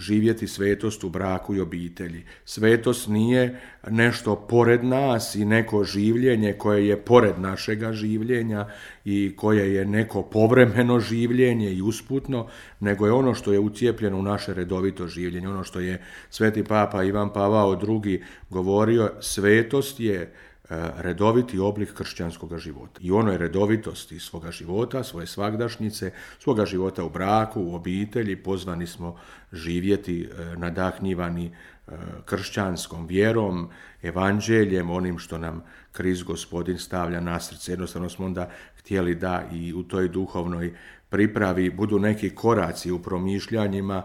živjeti svetost u braku i obitelji. Svetost nije nešto pored nas i neko življenje koje je pored našega življenja i koje je neko povremeno življenje i usputno, nego je ono što je ucijepljeno u naše redovito življenje. Ono što je sveti papa Ivan Pavao II govorio, svetost je redoviti oblik kršćanskog života. I ono je redovitosti svoga života, svoje svagdašnjice, svoga života u braku, u obitelji. Pozvani smo živjeti nadahnjivani kršćanskom vjerom, evanđeljem, onim što nam Krist Gospodin stavlja na srce. Jednostavno smo onda htjeli da i u toj duhovnoj pripravi budu neki koraci u promišljanjima